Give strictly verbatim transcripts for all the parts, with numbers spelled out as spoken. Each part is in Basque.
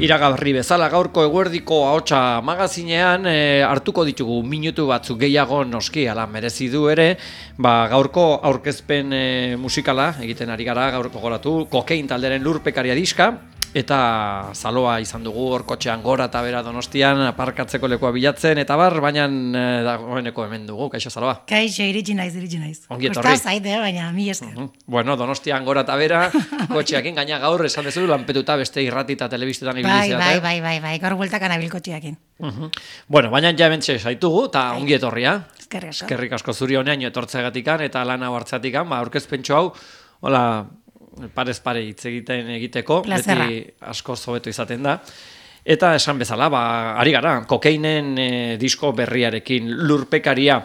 Iragarri bezala gaurko eguerdiko ahotsa magazinean e, hartuko ditugu minutu batzuk gehiago noski ala merezi du ere, ba, gaurko aurkezpen e, musikala egiten ari gara gaurko goratu, Kokain talderen Lurpekaria diska, eta zaloa izan dugu hor kotxean gora eta bera Donostian aparkatzeko lekua bilatzen, eta bar, baina e, dagoeneko hemen dugu, kaixo zaloa. Kaixo, iritsi naiz, iritsi naiz. Ongi etorri. Kostaz zaite, baina mi esker. Uh -huh. Bueno, Donostian gora eta bera, kotxeakin gaina gaur esan dezu, lanpetuta beste irrati eta telebistetan ibiliziat. Bai, bai, bai, bai, bai, gaur bueltakan abil kotxeakin. Uh -huh. Bueno, baina ja bentxe zaitugu, eta ongi etorria. Eskerrik asko. Eskerrik asko zuri honean etortzeagatikan eta lan hau hartzeatikan, ba, aurkezpentxo hau, hola, parez pare hitz egiten egiteko, Plazerra. beti asko zobeto izaten da. Eta esan bezala, ba, ari gara, Kokainen e, disko berriarekin, Lurpekaria.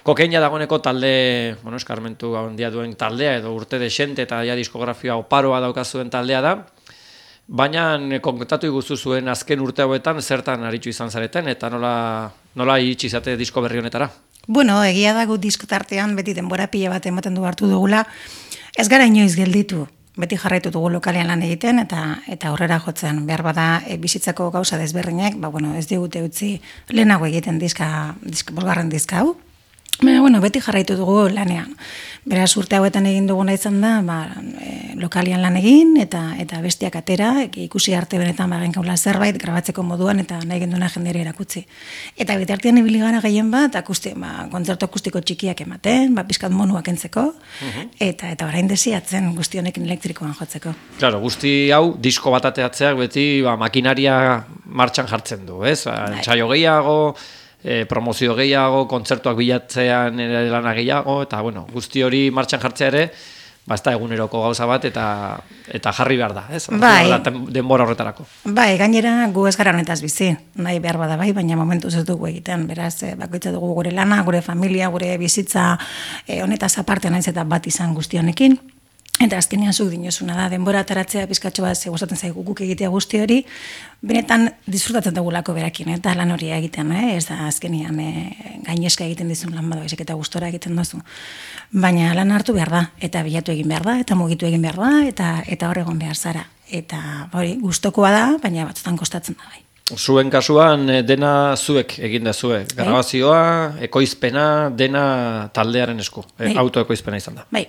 Kokaina dagoeneko talde, bueno, eskarmentu handia duen taldea, edo urte desente eta ja diskografia oparoa daukazuen taldea da. Baina kontatu iguzu zuen azken urte hauetan zertan aritzu izan zareten, eta nola, nola iritsi izate disko berri honetara? Bueno, egia dago disko tartean beti denbora pila bat ematen du hartu dugula. Ez gara inoiz gelditu, beti jarraitu dugu lokalean lan egiten eta eta aurrera jotzen. Behar bada e, bizitzako gauza desberdinak, ba, bueno, ez digute utzi lehenago egiten diska, diska bosgarren diska hau. Baina, bueno, beti jarraitu dugu lanean. Beraz, urte hauetan egin duguna izan da, ba, e, lokalian lan egin, eta eta bestiak atera, ikusi arte benetan bagen kaula zerbait, grabatzeko moduan, eta nahi genduna jendere erakutsi. Eta bitartean ibili gara gehien bat, akusti, ba, kontzertu akustiko txikiak ematen, ba, pizkat monuak entzeko, uh-huh. eta eta orain desiatzen guzti honekin elektrikoan jotzeko. Claro, guzti hau, disko bat ateatzeak beti ba, makinaria martxan jartzen du, ez? Entsaio gehiago, E, promozio gehiago, kontzertuak bilatzean ere lana gehiago, eta bueno, guzti hori martxan jartzea ere, ba, ez da eguneroko gauza bat, eta eta jarri behar da, ez? Bai. Denbora horretarako. Bai, gainera gu ez gara honetaz bizi, nahi behar bada bai, baina momentuz ez dugu egiten, beraz, e, bakoitza dugu gure lana, gure familia, gure bizitza, e, honetaz aparte naiz eta bat izan guzti honekin. Eta azkenean zuk dinozuna da, denbora ataratzea pizkatxo bat gustatzen zaigu guk egitea guzti hori, benetan disfrutatzen dugulako berakin, eta lan hori egiten, eh? Ez da azkenean e, gaineska egiten dizun lan badu, eta gustora egiten duzu. Baina lan hartu behar da, eta bilatu egin behar da, eta mugitu egin behar da, eta eta hor egon behar zara. Eta hori, gustokoa da, baina batzutan kostatzen da bai. Zuen kasuan dena zuek egin da zue, grabazioa, ekoizpena, dena taldearen esku, e, autoekoizpena izan da. Bai.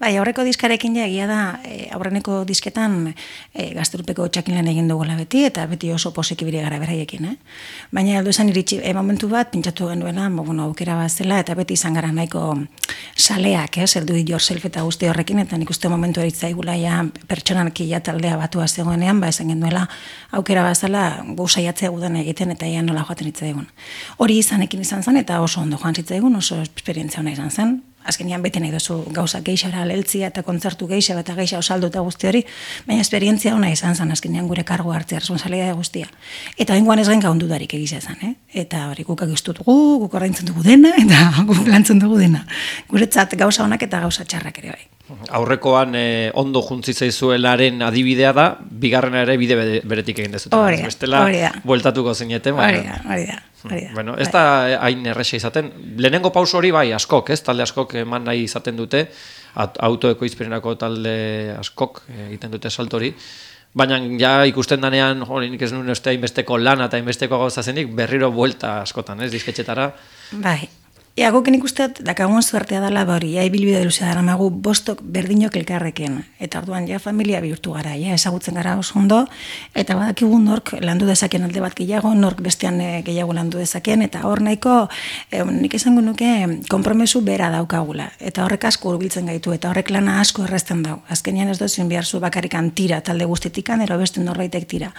Bai, aurreko diskarekin ja egia da, e, aurreneko disketan e, Gaztelupeko txakin lan egin dugula beti, eta beti oso posiki bire gara beraiekin, eh? Baina aldo esan iritsi, e, momentu bat, pintsatu genuela, bueno, aukera bat zela, eta beti izan gara nahiko saleak, eh? Zer do it yourself eta guzti horrekin, eta nik uste momentu eritzaigula ja pertsonalki ja taldea batua zegoenean, ba esan genuela aukera bat zela gu saiatzea gudan egiten, eta ja nola joaten hitzaigun. Hori izanekin izan zen, eta oso ondo joan zitzaigun, oso esperientzia ona izan zen. Azkenean beti nahi duzu gauza geixara leltzia eta kontzertu geixa eta geixa osaldu eta guzti hori, baina esperientzia ona izan zen, azkenean gure kargu hartzea, responsabilitatea guztia. Eta hengoan ez gain gaundudarik egizia zen, eh? Eta hori guk agistu dugu, guk ordaintzen dugu dena, eta guk lantzen dugu dena. Guretzat gauza onak eta gauza txarrak ere bai. Aurrekoan eh, ondo juntzi zaizuelaren adibidea da, bigarrena ere bide beretik egin dezuten. Hori da, bestela, hori da. bueltatuko zineten. Hori da, hori da. Bueno, ez da hain erresa izaten. Lehenengo pauso hori bai, askok, ez? Talde askok eman nahi izaten dute, autoekoizpenenako talde askok egiten dute salto hori. Baina ja ikusten danean, hori nik ez nuen uste hainbesteko lana eta hainbesteko gauza zenik, berriro buelta askotan, ez? Disketxetara. Bai. Ea, guk nik usteat, dakagun zuertea dela hori, ja ibilbide luzea dara magu bostok berdinok elkarrekin. Eta orduan ja familia bihurtu gara, ja ezagutzen gara oso ondo, eta badakigu nork landu dezaken alde bat gehiago, nork bestean gehiago landu dezaken, eta hor nahiko, eh, nik esango nuke, konpromesu bera daukagula. Eta horrek asko hurbiltzen gaitu, eta horrek lana asko errazten dau. Azkenean ez dozien behar zu bakarrikan tira, talde guztitikan, ero beste norbaitek tira.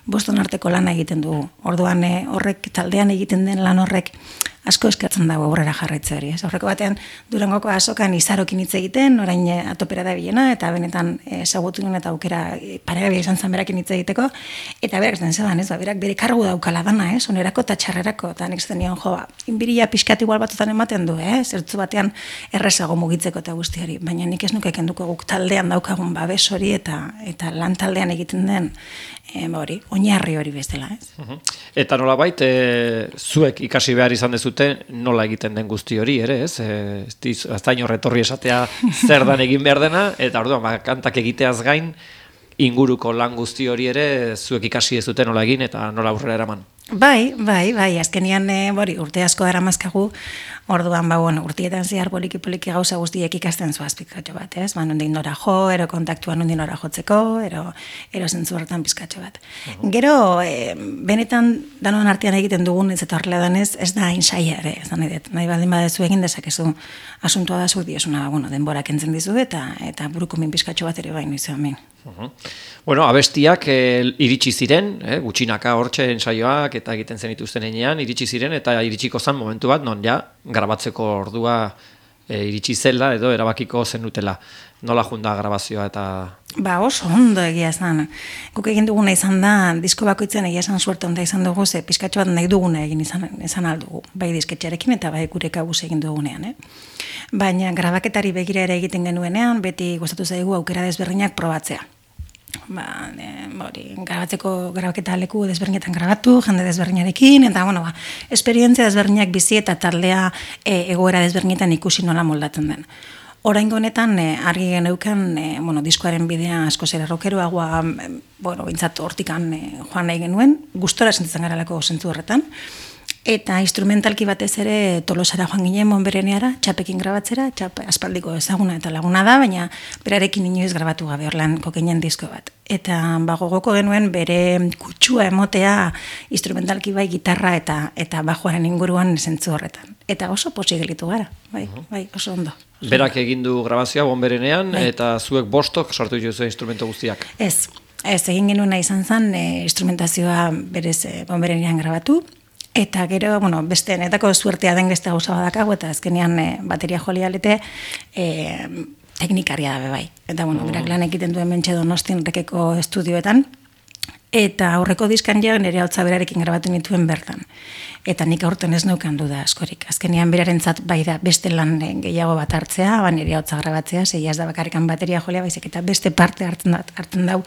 Boston arteko lana egiten dugu. Orduan eh, horrek taldean egiten den lan horrek asko eskatzen dago aurrera jarraitze hori. Ez aurreko batean Durangoko azokan izarokin hitz egiten, orain atopera da bilena, eta benetan ezagutu duen eta aukera paregabia izan zen berakin hitz egiteko, eta berak zen zedan, ez, ba, berak bere kargu daukala dana, ez, onerako eta txarrerako, eta nik zen nion, jo, ba, inbiria pixkat igual batutan ematen du, eh, zertzu batean errezago mugitzeko eta guzti hori, baina nik ez nuke kenduko guk taldean daukagun babes hori, eta eta lan taldean egiten den, e, ba hori, oinarri hori bestela, ez. Uh-huh. Eta nolabait, e, zuek ikasi behar izan dezute nola egiten den guzti hori, ere, ez? E, ez da inorretorri esatea zer dan egin behar dena, eta orduan, ba, kantak egiteaz gain, inguruko lan guzti hori ere zuek ikasi ez duten nola egin eta nola aurrera eraman. Bai, bai, bai, azkenian e, bori, urte asko dara mazkagu, orduan, ba, bueno, urtietan zehar poliki-poliki gauza guztiek ikasten zoaz pizkatxo bat, ez? Ba, nondin nora jo, ero kontaktua nondin nora jotzeko, ero, ero zentzu horretan pizkatxo bat. Uh-huh. Gero, e, benetan, danon artean egiten dugun, ez eta horrela danez, ez da hain saia ere, ez da nahi dut, nahi baldin badezu egin dezakezu asuntua da zu diosuna, bueno, denbora kentzen dizu eta eta buruko min pizkatxo bat ere baino izan min. Uh-huh. Bueno, abestiak eh, iritsi ziren, eh, gutxinaka hortxe ensaioak eta egiten zen ituzten enean, iritsi ziren eta iritsiko zen momentu bat, non ja, grabatzeko ordua eh, iritsi zela edo erabakiko zenutela. Nola junda grabazioa eta... Ba, oso ondo egia esan. Guk egin duguna izan da, disko bakoitzen egia esan suerte onda izan dugu, ze pizkatxo bat nahi duguna egin izan, izan aldugu. Bai disketxarekin eta bai gure kabuz egin dugunean, eh? Baina grabaketari begira ere egiten genuenean, beti gustatu zaigu aukera desberdinak probatzea. Ba, e, hori, grabatzeko grabaketa leku desberdinetan grabatu, jende desberdinarekin, eta, bueno, ba, esperientzia desberdinak bizi eta taldea e, egoera desberdinetan ikusi nola moldatzen den. Oraingo honetan, e, argi geneukan, e, bueno, diskoaren bidea asko zera rokeroagoa, e, bueno, bintzat hortikan e, joan nahi genuen, gustora sentitzen garalako zentzu horretan, eta instrumentalki batez ere Tolosara joan ginen Monbereneara, txapekin grabatzera, txap aspaldiko ezaguna eta laguna da, baina berarekin inoiz grabatu gabe orlan kokeinen disko bat. Eta ba, gogoko genuen bere kutsua emotea instrumentalki bai gitarra eta eta bajoaren inguruan zentzu horretan. Eta oso pozik gelitu gara, bai, bai, oso ondo. Berak egin du grabazioa Monberenean, bai. Eta zuek bostok sortu dituzu instrumento guztiak. Ez, ez egin genuena izan zen e, instrumentazioa berez e, Monberenean grabatu. Eta gero, bueno, beste netako suertea den beste gauza badakago, eta azkenean e, bateria jolialete e, teknikaria da bai. Eta, bueno, berak lan egiten duen Mentxe Donostian rekeko estudioetan, eta aurreko diskan ja nire hautza berarekin grabatu nituen bertan. Eta nik aurten ez neukan duda askorik. Azkenean berarentzat bai da beste lan gehiago bat hartzea, ba nire hautza grabatzea, zeia ez da bakarrikan bateria jolia baizik, eta beste parte hartzen, hartzen dau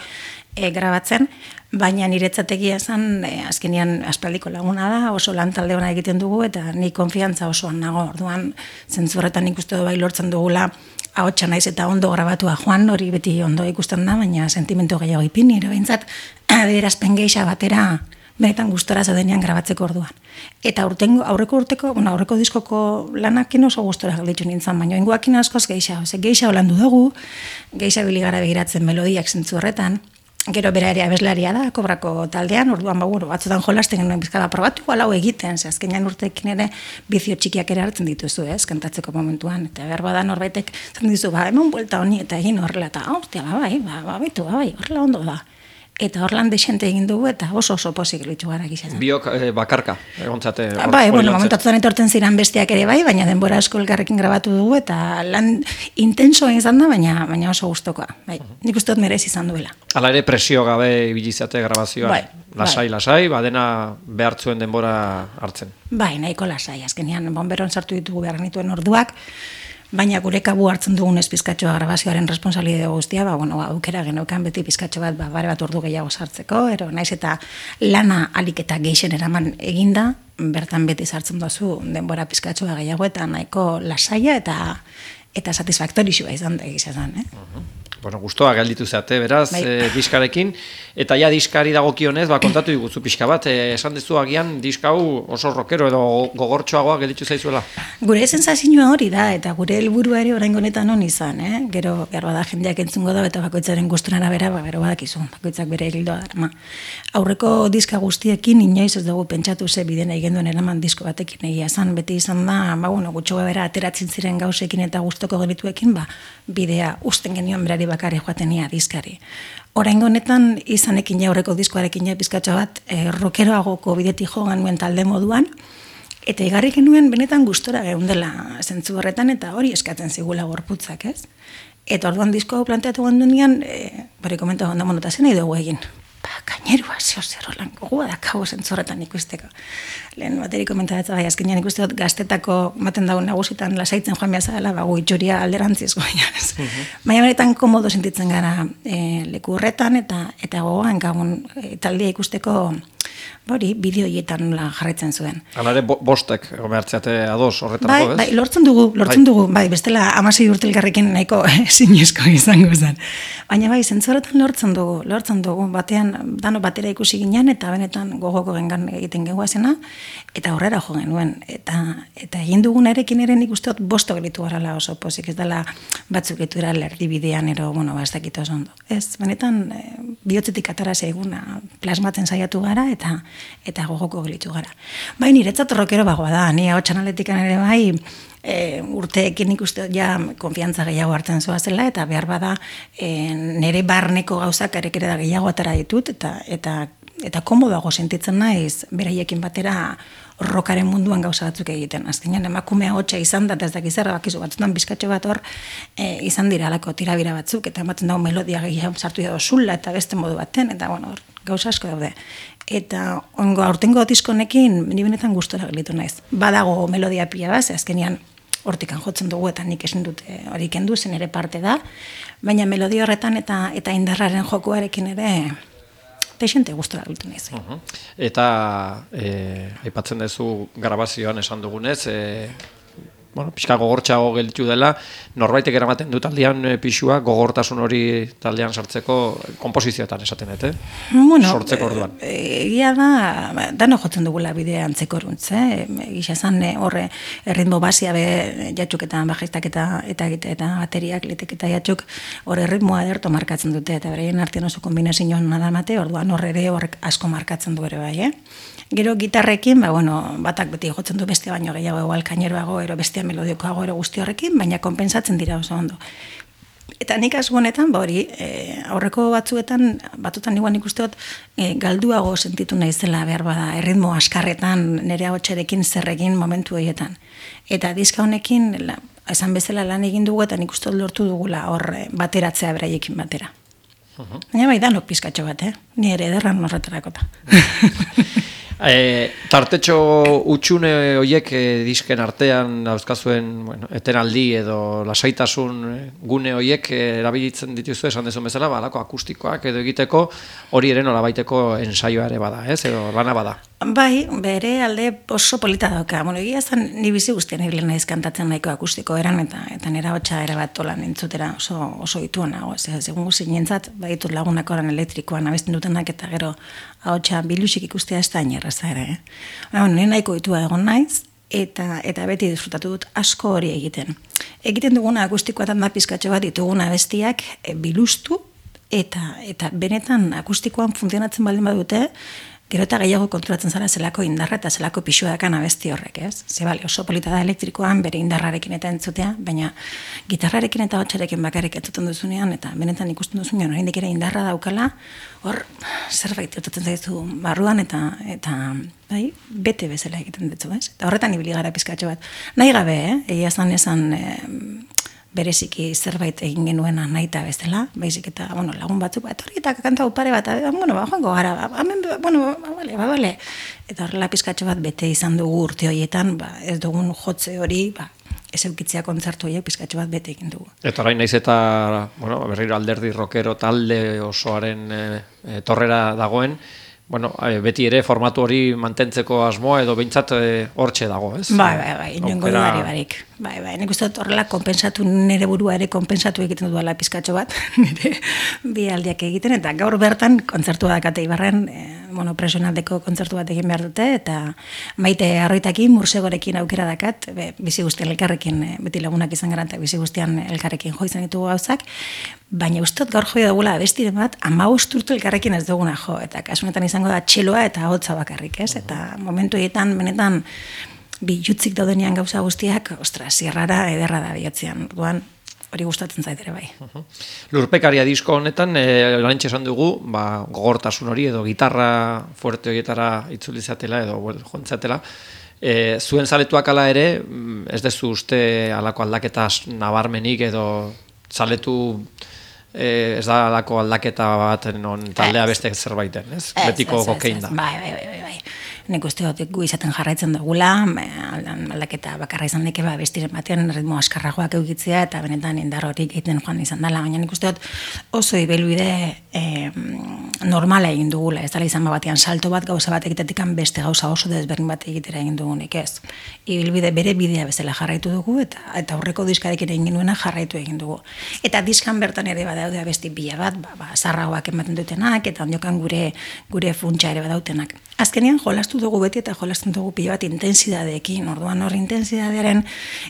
e, grabatzen, baina niretzat egia esan e, azkenean aspaldiko laguna da, oso lan talde ona egiten dugu, eta ni konfiantza osoan nago, orduan zentzu horretan ikuste du bai lortzen dugula, ahotsa naiz eta ondo grabatua joan, hori beti ondo ikusten da, baina sentimentu gehiago ipin, nire behintzat adierazpen geixa batera benetan gustora zaudenean grabatzeko orduan. Eta urtengo, aurreko urteko, bueno, aurreko diskoko lanakin oso gustora gelditu nintzen, baina inguakin askoz geixa, ose, geixa holandu dugu, geixa biligara begiratzen melodiak zentzu horretan, gero bera ere abeslaria da, Kobrako taldean, orduan ba, bueno, batzutan jolasten genuen bizkada probatu, igual hau egiten, ze azkenean urtekin ere bizio txikiak ere hartzen dituzu, ez, kantatzeko momentuan, eta behar badan norbaitek zaten dizu, ba, hemen buelta honi, eta egin horrela, eta, hostia, ba, bai, ba, ba, baitu, ba, bai, horrela ondo da. Eta horlan desente egin dugu, eta oso oso pozik litzu gara gizan. Biok eh, bakarka, egontzate. Or, bai, bueno, momentatzuan etortzen ziren bestiak ere bai, baina denbora asko elkarrekin grabatu dugu, eta lan intensoa izan da, baina baina oso gustokoa. Bai, nik uste dut merez izan duela. Hala ere presio gabe ibilizate grabazioa. Bai, lasai, bai. lasai, badena behartzuen denbora hartzen. Bai, nahiko lasai, azkenean bonberon sartu ditugu behar nituen orduak, baina gure kabu hartzen dugun ez pizkatxoa grabazioaren responsabilitate guztia, ba, bueno, aukera geneukan beti pizkatxo bat, ba, bare bat ordu gehiago sartzeko, ero naiz eta lana alik eta geixen eraman eginda, bertan beti sartzen dozu denbora pizkatxoa gehiago eta nahiko lasaia eta eta satisfaktorixua izan da egizan, eh? Uh-huh. Bueno, gustoa gelditu zeate, beraz, bai. e, diskarekin, eta ja diskari dagokionez, ba, kontatu diguzu pixka bat, e, esan dezu agian diska hau oso rockero edo gogortxoagoa gelditu zaizuela. Gure sensazioa hori da, eta gure helburua ere oraingo honetan on izan, eh? Gero, behar bada jendeak entzungo da, eta bakoitzaren gusturara bera, ba, gero badakizu, bakoitzak bere egildoa darama. Aurreko diska guztiekin, inoiz ez dugu pentsatu ze bidena egin duen eraman disko batekin egia esan, beti izan da, ba, bueno, gutxo bera ateratzen ziren gauzekin eta gustoko genituekin, ba, bidea usten genion berari bakarri joatenia diskari. Oraingo honetan izanekin ja aurreko diskoarekin ja pizkatxo bat e, rockeroagoko bidetik jo genuen talde moduan, eta igarri genuen benetan gustora geundela zentzu horretan, eta hori eskatzen zigula gorputzak, ez? Eta orduan disko hau planteatu gendunean, e, bari komentu gonda monota zen nahi dugu egin. Ba, gainerua, zeo zer holan gogoa dakago zentzorretan ikusteko. Lehen bateri komentatzen bai, azkenean ikuste dut gaztetako maten dago nagusitan lasaitzen joan behar zela, ba, gu itxuria alderantziz goia. Uh-huh. Baina benetan komodo sentitzen gara e, leku horretan, eta eta gogoan gagun e, taldea ikusteko Bori, bideoietan nola jarraitzen zuen. Hala ere, bo, bostek, gomertziate ados horretarako, Bai, ez? bai, lortzen dugu, lortzen bai. dugu, bai, bestela amasei urte elkarrekin nahiko zinezko izango zen. Baina bai, zentzoretan lortzen dugu, lortzen dugu, batean, dano batera ikusi ginen, eta benetan gogoko gengan egiten gehuazena, eta horrera jo genuen. Eta, eta egin dugunarekin ere nik usteot bosto gelitu garala oso pozik, ez dela batzuk etu era erdibidean, ero, bueno, ba, ez dakit oso ondo. Ez, benetan, e, bihotzetik atara zeiguna plasmatzen saiatu gara, eta eta gogoko gelitu gara. Bai, niretzat rockero bagoa da, ni hau txanaletikan ere bai, e, urteekin ikuste ja konfiantza gehiago hartzen zoa zela, eta behar bada e, nire barneko gauzak arekere da gehiago atara ditut, eta eta eta komodago sentitzen naiz beraiekin batera rockaren munduan gauza batzuk egiten. Azkenean emakumea hotxa izan da, ez dakiz erra bakizu batzutan bizkatxo bat hor e, izan dira alako tirabira batzuk, eta ematen dago melodia gehiago sartu dago zula, eta beste modu baten, eta bueno, gauza asko daude. Eta ongo aurtengo diskonekin ni benetan gustora gelitu naiz. Badago melodia pila bat, azkenean hortikan jotzen dugu eta nik esin dut hori kendu zen ere parte da, baina melodia horretan eta eta indarraren jokuarekin ere texente gustora gelitu naiz. Uh -huh. Eta eh, aipatzen duzu grabazioan esan dugunez, eh, bueno, pixka gogortxago gelditu dela, norbaitek eramaten du taldean e, pixua, gogortasun hori taldean sartzeko konposizioetan esaten dut, eh? Bueno, sortzeko orduan. Egia da, dano jotzen dugula bidea antzekoruntz, eh? Gisa esan horre erritmo basia be jatxuketan, bajistak eta eta eta, eta bateriak, litek eta jatxuk horre ritmoa ederto markatzen dute, eta bereien artean oso kombinazioan nadamate, orduan horre ere horrek asko markatzen du ere bai, eh? Gero gitarrekin, ba, bueno, batak beti jotzen du beste baino gehiago, igual kaineroago, ero bestea melodiokoago ero guzti horrekin, baina konpensatzen dira oso ondo. Eta nik asko honetan, ba hori, e, aurreko batzuetan, batutan igual nik usteot, e, galduago sentitu naizela behar bada, erritmo askarretan, nire hotxerekin zerrekin momentu horietan. Eta diska honekin, la, esan bezala lan egin dugu, eta nik usteot lortu dugula hor bateratzea beraiekin batera. Uh-huh. Baina bai, danok pizkatxo bat, eh? Ni ere ederran horretarakota. E, tartetxo utxune horiek e, disken artean dauzkazuen, bueno, etenaldi edo lasaitasun gune horiek e, erabilitzen dituzu esan dezun bezala, balako akustikoak edo egiteko hori ere nolabaiteko ensaioa ere bada, ez? Edo lana bada. Bai, bere alde oso polita dauka. Bueno, egia zan, ni bizi guztien egile naiz kantatzen nahiko akustiko eran, eta eta nera hotxa erabat olan entzutera oso, oso ituan nago. Segun guzi nintzat, baditut lagunak oran elektrikoan abesten dutenak, eta gero hotxa bilusik ikustea ez da inerraza ere. Eh? Bueno, nire nahiko itua egon naiz, eta eta beti disfrutatu dut asko hori egiten. Egiten duguna akustikoatan da pizkatxo bat dituguna bestiak e, bilustu, eta eta benetan akustikoan funtzionatzen baldin badute, gero eta gehiago konturatzen zara zelako indarra eta zelako pixua dakan abesti horrek, ez? Ze bale, oso polita da elektrikoan bere indarrarekin eta entzutea, baina gitarrarekin eta hotxarekin bakarrik entzuten duzunean, eta benetan ikusten duzunean, oraindik ere indarra daukala, hor zerbait irtuten zaizu barruan, eta eta bai, bete bezala egiten dutzu, ez? Eta horretan ibili gara pizkatxo bat. Nahi gabe, eh? Egia zan esan eh, bereziki zerbait egin genuena nahita bezala, baizik eta, bueno, lagun batzuk, bat hori eta kanta pare bat, bueno, ba, joango gara, ba, hemen, bueno, ba, bale, ba, bale. Eta horrela pizkatxo bat bete izan dugu urte horietan, ba, ez dugun jotze hori, ba, ez eukitzea kontzertu horiek pizkatxo bat bete egin dugu. Eta orain naiz eta, bueno, berriro alderdi rockero talde osoaren e, e, torrera dagoen, bueno, beti ere formatu hori mantentzeko asmoa edo behintzat hortxe dago, ez? Bai, bai, bai, inongo dudari barik. Bai, bai, nik uste dut horrela konpensatu, nire burua ere konpensatu egiten duela pizkatxo bat, nire bi aldiak egiten, eta gaur bertan kontzertua dakate Ibarren, e, bueno, presionaldeko kontzertu bat egin behar dute, eta Maite Arroitakin, Mursegorekin aukera dakat, be, bizi guztian elkarrekin, beti lagunak izan gara, eta bizi guztian elkarrekin jo izan ditugu gauzak, baina ustot gaur joia dugula abestiren bat, amabost urtu elkarrekin ez duguna jo, eta kasunetan izango da txeloa eta hotza bakarrik, ez? Eta momentu egiten, benetan, bi jutzik daudenean gauza guztiak, ostra, zierrara ederra da bihotzean, duan, hori gustatzen zaitere bai. Uh-huh. Lurpekaria disko honetan, e, lantxe esan dugu, ba, gogortasun hori edo gitarra fuerte horietara itzulizatela edo bueno, jontzatela, e, zuen zaletuak ala ere, ez dezu uste alako aldaketa nabarmenik edo zaletu Eh, ez da alako aldaketa bat non taldea beste zerbaiten, ez? Betiko kokein da. Bai, bai, bai, bai. nik uste dut gu izaten jarraitzen dugula, aldaketa bakarra izan deke ba, bestiren batean ritmo askarragoak eukitzea, eta benetan indar horik egiten joan izan dela, baina nik uste dut oso ibilbide eh, normala egin dugula, ez dela izan batean salto bat gauza bat egitetikan beste gauza oso desberdin bat egitera egin dugunik ez. Ibilbide bere bidea bezala jarraitu dugu, eta, eta aurreko diskarekin egin duena jarraitu egin dugu. Eta diskan bertan ere badaude abesti bila bat, ba, ba, zarragoak ematen dutenak, eta ondiokan gure, gure funtsa ere badautenak. Azkenean jolastu dugu beti eta jolastu dugu pila bat intensidadeekin, orduan hor intensidadearen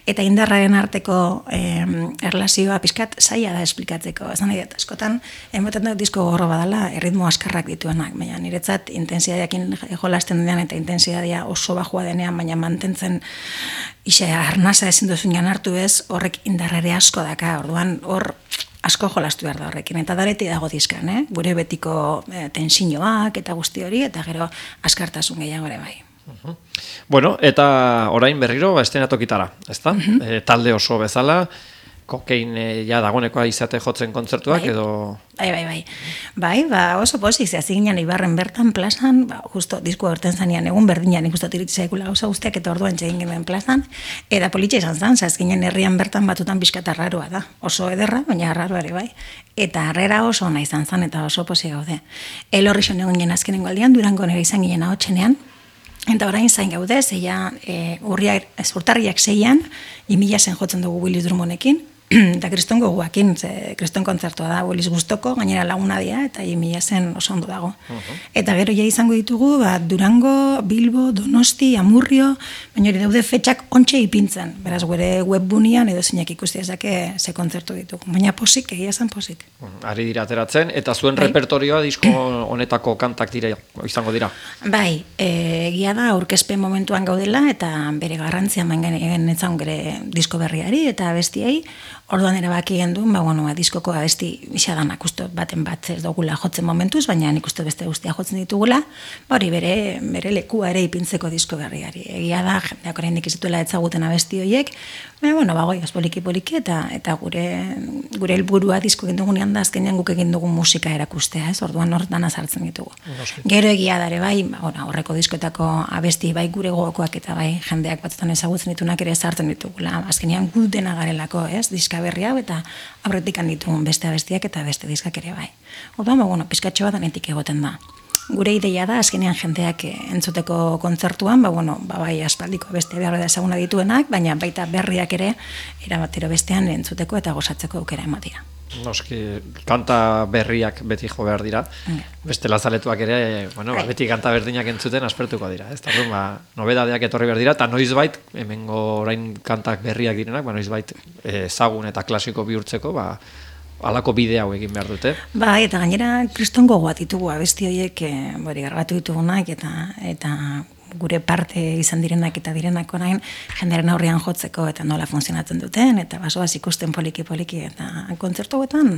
eta indarraren arteko eh, erlazioa pizkat zaila da esplikatzeko. Ez nahi dut, askotan, ematen dut disko gorro badala, erritmo askarrak dituenak, baina niretzat intensidadeakin jolasten denean eta intensidadea oso bajua denean, baina mantentzen isa arnasa ezin duzunean hartu ez, horrek indarrere asko daka, orduan hor asko jolastu behar da horrekin, eta dareti dago dizkan, eh? Gure betiko eh, tensioak eta guzti hori, eta gero askartasun gehiago ere bai. Uh-huh. Bueno, eta orain berriro estenatokitara, ezta? Uh-huh. E, talde oso bezala, kokein e, ja dagonekoa izate jotzen kontzertuak bai. edo... Bai, bai, bai. Bai, ba, oso pozik, zehaz ginen Ibarren bertan plazan, ba, justo disko berten zanean egun berdinan ikustu tiritza ekula gauza guztiak eta orduan txegin genuen plazan, eta politxe izan zan, zehaz ginen herrian bertan batutan pixkata arraroa da. Oso ederra, baina arraroa ere bai. Eta harrera oso ona izan zan, eta oso pozik gaude. Elorri son egun ginen azkenengo aldian, Durango nire izan ginen ahotsenean, eta orain zain gaude, zeia e, urriak, ez urtarriak zeian, imila zen jotzen dugu Willis Drummondekin, eta kriston goguakin, ze kriston kontzertua da, Willis guztoko, gainera laguna dia, eta imila zen oso ondo dago. Uh-huh. Eta gero ja izango ditugu, ba, Durango, Bilbo, Donosti, Amurrio, baina hori daude fetxak ontxe ipintzen, beraz gure webbunian edo zeinak ikusti ezake ze kontzertu ditugu, baina posik, egia zen posik. Uh-huh. Ari dira ateratzen, eta zuen bai. Repertorioa disko honetako kantak dira, izango dira? Bai, egia da, aurkezpen momentuan gaudela, eta bere garrantzia mangen etzan gure disko berriari, eta bestiei, orduan erabaki genduen, ba, bueno, ba, diskoko abesti isadanak uste baten bat ez dugula jotzen momentuz, baina nik uste beste guztia jotzen ditugula, ba, hori bere, bere lekua ere ipintzeko disko berriari. Egia da, jendeak oraindik ez dituela etzaguten abesti horiek, baina, bueno, ba, goiaz poliki-poliki, eta, eta gure, gure helburua disko egin dugunean da, azkenean guk egin dugun musika erakustea, ez, orduan hor dana sartzen ditugu. Noski. Gero egia da ere bai, ba, horreko diskoetako abesti bai gure gogokoak eta bai jendeak batzutan ezagutzen ditunak ere sartzen ditugula. Azkenean gu dena garelako, ez, diska berri hau eta aurretik ditugun beste abestiak eta beste diskak ere bai. Orduan, ba, bueno, pizkatxo bat anetik egoten da. Gure ideia da, azkenean jendeak entzuteko kontzertuan, ba, bueno, ba, bai aspaldiko beste behar da ezaguna dituenak, baina baita berriak ere erabatero bestean entzuteko eta gozatzeko aukera ematea. Noski, kanta berriak beti jo behar dira, yeah. Beste lazaletuak ere, bueno, ba, beti kanta berdinak entzuten aspertuko dira, ez? Tarun, ba, nobedadeak etorri behar dira, eta noizbait, hemengo orain kantak berriak direnak, ba, noizbait ezagun eta klasiko bihurtzeko, ba, halako bide hau egin behar dute. Ba, eta gainera kriston gogoat ditugu abesti horiek, e, bori, garbatu ditugunak, eta, eta gure parte izan direnak eta direnak orain jenderen aurrean jotzeko eta nola funtzionatzen duten, eta basoaz ikusten poliki-poliki, eta kontzertu hauetan,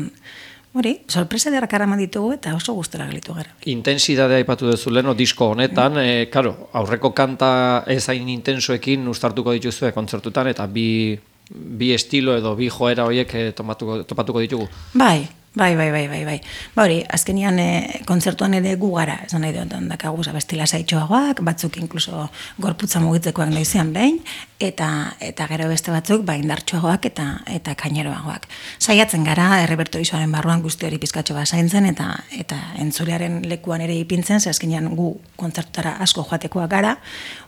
hori, sorpresa derrak araman ditugu eta oso gustora gelitu gara. Intensidadea aipatu duzu leno disko honetan, mm. e, karo, aurreko kanta ezain intensoekin ustartuko dituzue kontzertutan, eta bi, bi estilo edo bi joera horiek e, topatuko, topatuko ditugu. Bai. Bai, bai, bai, bai, bai. Ba hori, azkenian e, kontzertuan ere gu gara, esan nahi dut, dakagu abestila saitxoagoak, batzuk inkluso gorputza mugitzekoak naizean behin, eta eta gero beste batzuk ba indartsuagoak eta eta kaineroagoak. Saiatzen gara errepertorizoaren barruan guzti hori pizkatxo bat zaintzen eta eta entzulearen lekuan ere ipintzen, ze azkenean gu kontzertutara asko joatekoak gara,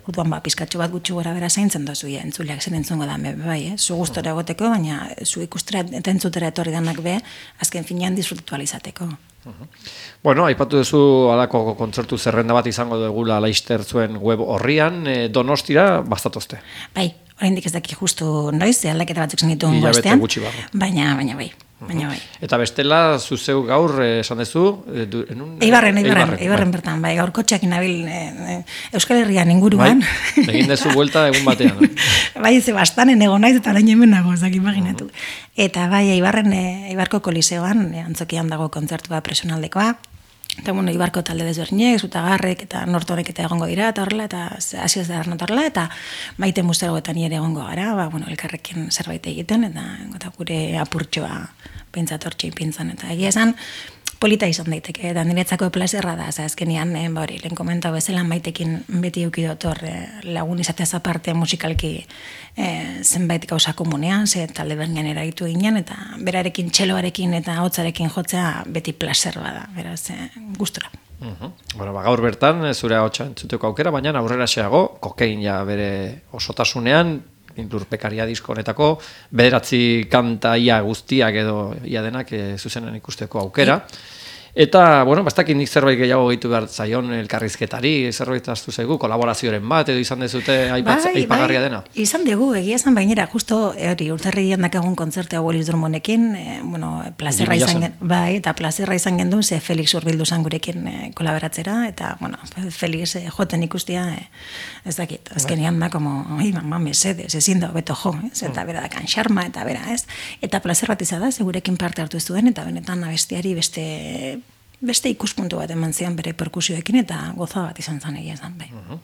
orduan ba pizkatxo bat gutxi gora bera zaintzen dozu ja entzuleak zen entzungo da bai, eh? Zu gustora egoteko, baina zu ikustera eta entzutera etorri danak be, azken finean disfrutatu alizateko. Uh-huh. Bueno, aipatu duzu alako kontzertu zerrenda bat izango dugula Laster zuen web horrian, e, Donostira bastatozte. Bai, oraindik ez daki justu noiz, aldaketa batzuk zen dituen gostean, baina, baina bai. Baina bai. Eta bestela, zuzeu gaur, esan dezu? E, du, enun, eibarren, eibarren, eibarren bai. Bertan, bai, gaur kotxeak nabil e, e, Euskal Herrian inguruan. Bai, egin dezu vuelta egun batean. No? Bai, ze bastanen egon naiz eta orain hemen nago, zak imaginatu. Uh-huh. Eta bai, eibarren, e, eibarko koliseoan, e, antzokian dago kontzertua presionaldekoa, eta bueno, Ibarko talde desberdinek, Zutagarrek eta Nortorek eta egongo dira, eta horrela, eta hasi ez da horrela, eta Maite Musteroetan ere egongo gara, ba, bueno, elkarrekin zerbait egiten, eta, eta gure apurtxoa pentsat hortxe ipintzen, eta egia esan, polita izan daiteke, eta niretzako plazerra da, za azkenean, eh, hori, lehen komenta bezala maitekin beti eukidot hor eh, lagun izateaz aparte musikalki eh, zenbait gauza komunean, ze talde bernian eragitu ginen, eta berarekin txeloarekin eta hotzarekin jotzea beti plazer bada, beraz, eh, gustora. Uh-huh. Bueno, ba, gaur bertan, zure ahotsa entzuteko aukera, baina aurrera xeago, kokain ja bere osotasunean, lurpekaria disko honetako, bederatzi kanta ia guztiak edo ia denak e, zuzenen ikusteko aukera. Eta, bueno, bastakin nik zerbait gehiago gehitu behar zaion elkarrizketari, zerbait aztu zaigu, kolaborazioaren bat, edo izan dezute aipatz, bai, aipagarria bai, dena? Izan dugu, egia esan bainera, justo, hori, urtarrian dakagun kontzertea Willis Drummondekin, e, bueno, plazerra izan gen, bai, eta plazerra izan gendu, ze Felix urbildu zan gurekin e, kolaboratzera, eta, bueno, Felix e, joten ikustia, e, ez dakit, azkenean da, como, oi, mama, mesedez, ezin da, beto jo, ez, eta bera dakan xarma, eta bera, ez, eta plazer bat izan da, segurekin parte hartu ez duen, eta benetan abestiari beste beste ikuspuntu bat eman zian bere perkusioekin eta goza bat izan zan egia zan, bai. Uh-huh.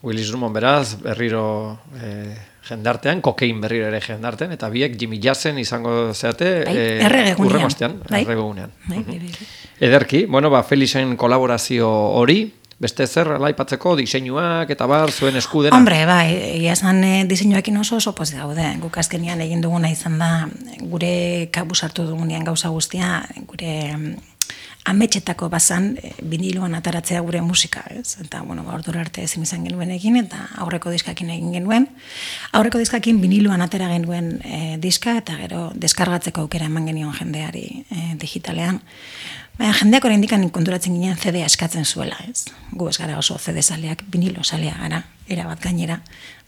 Willis Drummond beraz, berriro eh, jendartean, kokein berriro ere jendartean, eta biek Jimmy Jazzen izango zeate bai, eh, erregegunean. Urremostean, bai. erregegunean. Bai, uh-huh. bai, bai. Ederki, bueno, ba, Felixen kolaborazio hori, beste zer laipatzeko diseinuak eta bar zuen eskudena? Hombre, bai, egia esan e, diseinuekin oso oso pozik gaude. Guk azkenian egin duguna izan da, gure kabuz hartu dugunean gauza guztia, gure ametxetako bazan e, biniloan ataratzea gure musika, ez? Eta, bueno, ordura arte ezin izan genuen egin, eta aurreko diskakin egin genuen. Aurreko diskakin biniloan atera genuen e, diska, eta gero deskargatzeko aukera eman genion jendeari e, digitalean. Baina jendeak oraindik konturatzen ginen C D-a eskatzen zuela, ez? Gu ez gara oso C D-zaleak, binilo zalea gara, erabat gainera.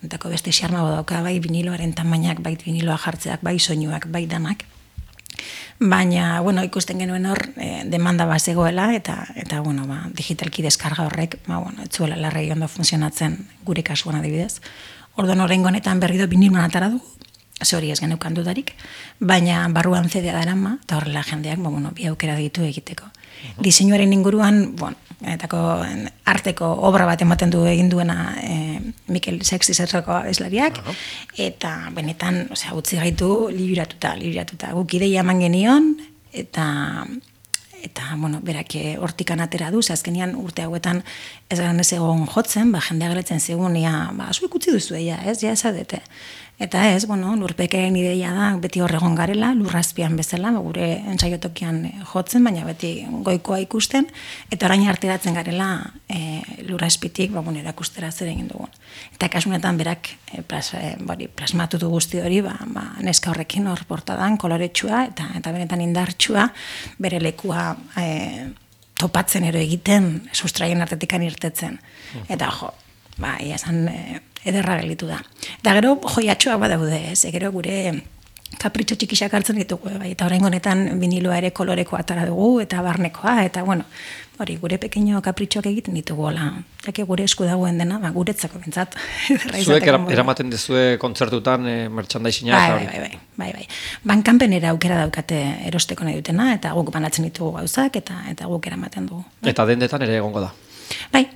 Entako beste xarma badauka, bai biniloaren tamainak, bai biniloa jartzeak, bai soinuak, bai danak. Baina, bueno, ikusten genuen hor e, demanda bat zegoela, eta, eta bueno, ba, digitalki deskarga horrek, ba, bueno, etzuela larregi ondo funtzionatzen gure kasuan adibidez. Orduan oraingo honetan berri do biniloan atara dugu, ze hori ez geneukan dudarik, baina barruan C D-a darama, eta horrela jendeak, ba, bueno, bi aukera ditu egiteko. Uh-huh. Diseinuaren inguruan, bueno, etako arteko obra bat ematen du egin duena e, Mikel Sextiserreko abeslariak, uh-huh. eta benetan, osea, utzi gaitu liburatuta, liburatuta. Guk ideia eman genion, eta eta, bueno, berak hortikan atera du, azkenean urte hauetan ez garen ez egon jotzen, ba, jendea galetzen zegoen, ja, ba, zu ikutzi duzu ja, ez, ja, ezadete. Eta ez, bueno, lurpekaren ideia da, beti horregon garela, lurrazpian bezala, ba, gure entsaiotokian jotzen, baina beti goikoa ikusten, eta orain arteratzen garela e, lurrazpitik, ba, bueno, erakustera zer egin dugun. Eta kasunetan berak e, plas, e, bari, plasmatu du guzti hori, ba, ba, neska horrekin hor portadan, koloretsua, eta, eta benetan indartsua, bere lekua e, topatzen ero egiten, sustraien artetikan irtetzen. Eta jo, ba, ia esan e, ederra gelitu da. Eta gero joiatxoak badaude, ez, e, gero gure kapritxo txikisak hartzen ditugu, bai, eta oraingo honetan biniloa ere kolorekoa atara dugu, eta barnekoa, eta bueno, hori, gure pequeño kapritxoak egiten ditugu, hola, jake gure esku dagoen dena, ba, guretzako bentsat. Zuek eramaten dezue kontzertutan e, merchandising-a? Bai, bai, bai, bai, bai. Bankanpenera aukera daukate erosteko nahi dutena, eta guk banatzen ditugu gauzak, eta eta guk eramaten dugu. Bai. Eta dendetan ere egongo da? Bai,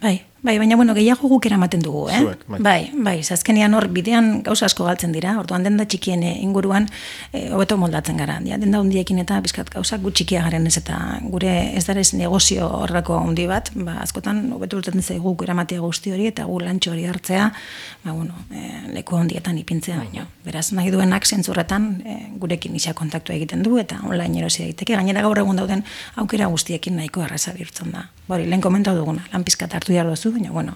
bai, bai, baina bueno, gehiago guk eramaten dugu, eh? Zuek, bai. Bai, bai, azkenean hor bidean gauza asko galtzen dira, orduan denda txikien inguruan eh, hobeto moldatzen gara. Ja, denda hundiekin eta bizkat gauzak gu txikia garen ez, eta gure ez darez negozio horreko handi bat, ba, askotan hobeto urtetzen zaigu guk eramatea guzti hori, eta gu lantxo hori hartzea, ba, bueno, eh, leku handietan ipintzea baino. Beraz, nahi duenak zentzurretan eh, gurekin isa kontaktua egiten du, eta online erosi daiteke. Gainera gaur egun dauden aukera guztiekin nahiko erraza bihurtzen da. Bori, lehen komentau duguna, lan pizkat hartu behar duzu, baina, bueno,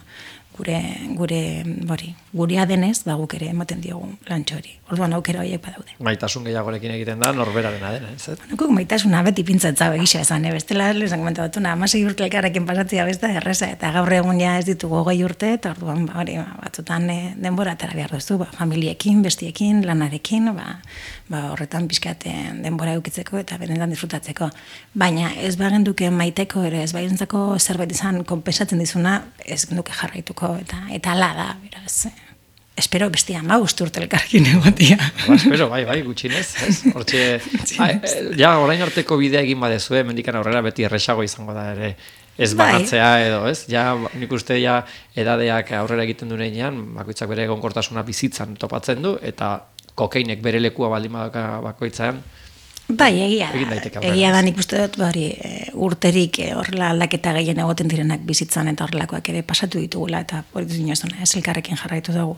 gure, gure, bori, gurea denez, ba, guk ere ematen diogu lantxo hori. Orduan aukera horiek badaude. Maitasun gehiagorekin egiten da, norberarena dena, ez? Guk maitasuna beti pintzatza begisa esan, eh? Bestela, lezan komentatuna, amasei urte elkarrekin pasatzea besta erreza, eta gaur egun ja ez ditugu hogei urte, eta orduan, ba, hori, ba, batzutan eh, denbora atera behar duzu, ba, familiekin, bestiekin, lanarekin, ba, ba, horretan pixkaten denbora eukitzeko eta benetan disfrutatzeko. Baina ez bagenduke maiteko ere, ez bagentzako zerbait izan konpensatzen dizuna, ez genduke jarraituko, eta eta ala da, beraz. Espero bestia ma urte elkarrekin egotia. Ba, espero, bai, bai, gutxinez, ez? Hortxe, ja, orain arteko bidea egin badezue, mendikan aurrera beti erresago izango da ere, ez banatzea edo, ez? Ja, nik uste ja edadeak aurrera egiten duenean, bakoitzak bere egonkortasuna bizitzan topatzen du, eta kokeinek bere lekua baldin badaka bakoitzean, Bai, egia, egin daiteke aurrera. egia da nik uste dut, bari, urterik horrela aldaketa gehien egoten direnak bizitzan eta horrelakoak ere pasatu ditugula, eta hori dut inoz, ez elkarrekin jarraitu dugu.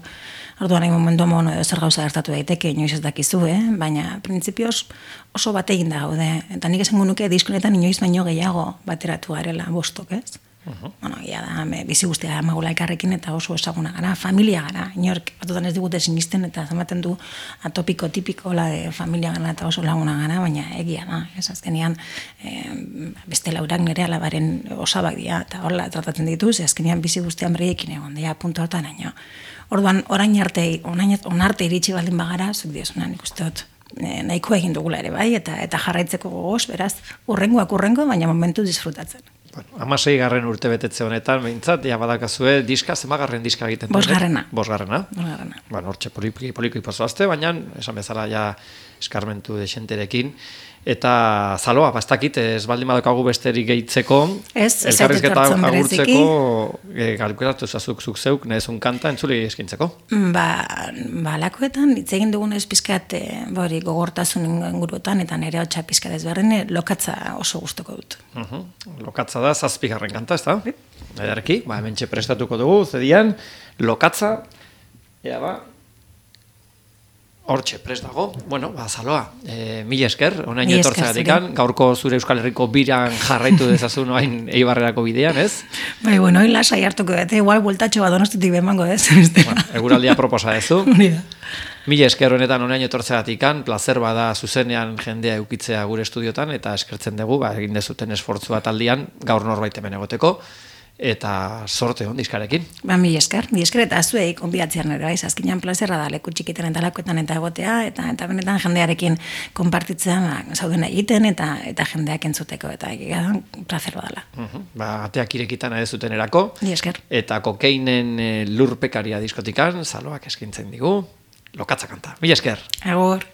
Orduan, egin momentu mono edo zer gauza gertatu daiteke, inoiz ez dakizu, eh? Baina, printzipioz oso bat egin da gaude. Eta nik esango nuke diskonetan inoiz baino gehiago bateratu garela bostok, ez? Uh-huh. Bueno, ia da, me, bizi guztia gara magula elkarrekin eta oso esaguna gara, familia gara, inork batutan ez digute sinisten eta zamaten du atopiko tipiko la de familia gara eta oso laguna gara, baina egia da, ez azkenian eh, beste laurak nire alabaren osabak dira eta horrela tratatzen dituz, azkenian bizi guztian berriekin egon, dira puntu hortan aino. Orduan, orain arte, orain arte iritsi baldin bagara, zuk diosuna nik uste dut, nahiko egin dugula ere bai, eta eta jarraitzeko gogoz, beraz, urrengoak urrengo, baina momentu disfrutatzen. Bueno, amasei garren urte betetze honetan, behintzat, ja badakazue diska, zemagarren diska egiten dut? Bosgarrena. Bosgarrena. Bosgarrena. Bueno, hortxe poliki poliki pasoazte, baina esan bezala ja eskarmentu desenterekin. Eta zaloa, bastakit, ez baldin badokagu besterik gehitzeko, ez, elkarrizketa agurtzeko, e, galkuratu zazuk zuk zeuk, nahezun kanta entzuli eskintzeko. Ba, ba lakoetan, hitz egin dugun ez pizkat, bori, gogortasun inguruetan, eta nire hotxa pizkat ezberdin, lokatza oso gustoko dut. Uh -huh. Lokatza da, zazpigarren kanta, ez da? Edarki, ba, hemen prestatuko dugu, zedian, lokatza, ea ba, hortxe, prest dago. Bueno, ba, zaloa, e, mila esker, onain etortzeatikan, gaurko zure Euskal Herriko biran jarraitu dezazun oain Eibarrerako bidean, ez? Bai, bueno, hoi lasai hartuko dut, igual bueltatxo bat donostitik bemango, ez? Bueno, eguraldia proposa dezu. Mila esker honetan onain etortzeatikan, placer bada zuzenean jendea eukitzea gure estudiotan, eta eskertzen dugu, ba, egin dezuten esfortzua taldian, gaur norbait hemen egoteko, eta sorte hon diskarekin. Ba, mi esker, mi esker eta zuei konbidatzean ere, bai, azkenean plazerra da leku txikiten eta lakoetan eta egotea, eta eta benetan jendearekin konpartitzen ba, zauden egiten eta eta jendeak entzuteko, eta egia plazerra dela. Uh -huh. Ba, ateak irekitan ere zuten erako, mi esker. Eta kokeinen e, lurpekaria diskotikan, zaloak eskintzen digu, lokatza kanta. Mila esker. Agur.